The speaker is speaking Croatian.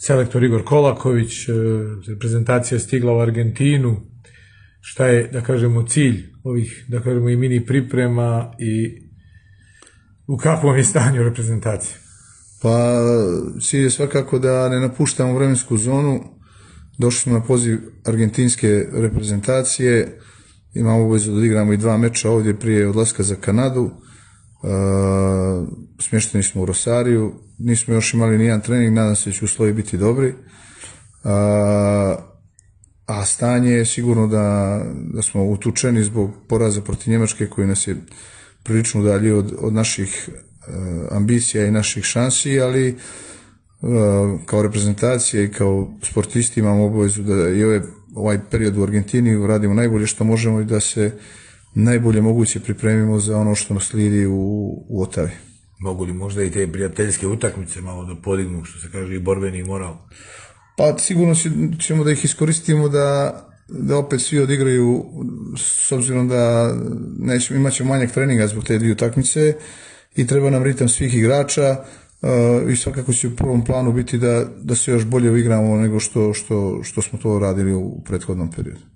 selektor Igor Kolaković, reprezentacija stigla u Argentinu. Šta je, da kažemo, cilj ovih, da kažemo, i mini priprema i u kakvom je stanju reprezentacije? Pa cilj je svakako da ne napuštamo vremensku zonu. Došli smo na poziv argentinske reprezentacije, imamo obavezu da odigramo i 2 meča ovdje prije odlaska za Kanadu. Smješteni smo u Rosariju, nismo još imali ni jedan trening, nadam se da će uslovi biti dobri. A stanje je sigurno da smo utučeni zbog poraza protiv Njemačke koji nas je prilično udaljio od naših ambicija i naših šansi, ali kao reprezentacija i kao sportisti imamo obavezu da i ovaj period u Argentini radimo najbolje što možemo i da se najbolje moguće pripremimo za ono što nas slijedi u Otavi. Mogu li možda i te prijateljske utakmice malo da podignu, što se kaže, i borbeni moral? Pa sigurno ćemo da ih iskoristimo da opet svi odigraju, s obzirom da imat ćemo manjak treninga zbog te 2 utakmice i treba nam ritam svih igrača i svakako će u prvom planu biti da se još bolje uigramo nego što smo to radili u prethodnom periodu.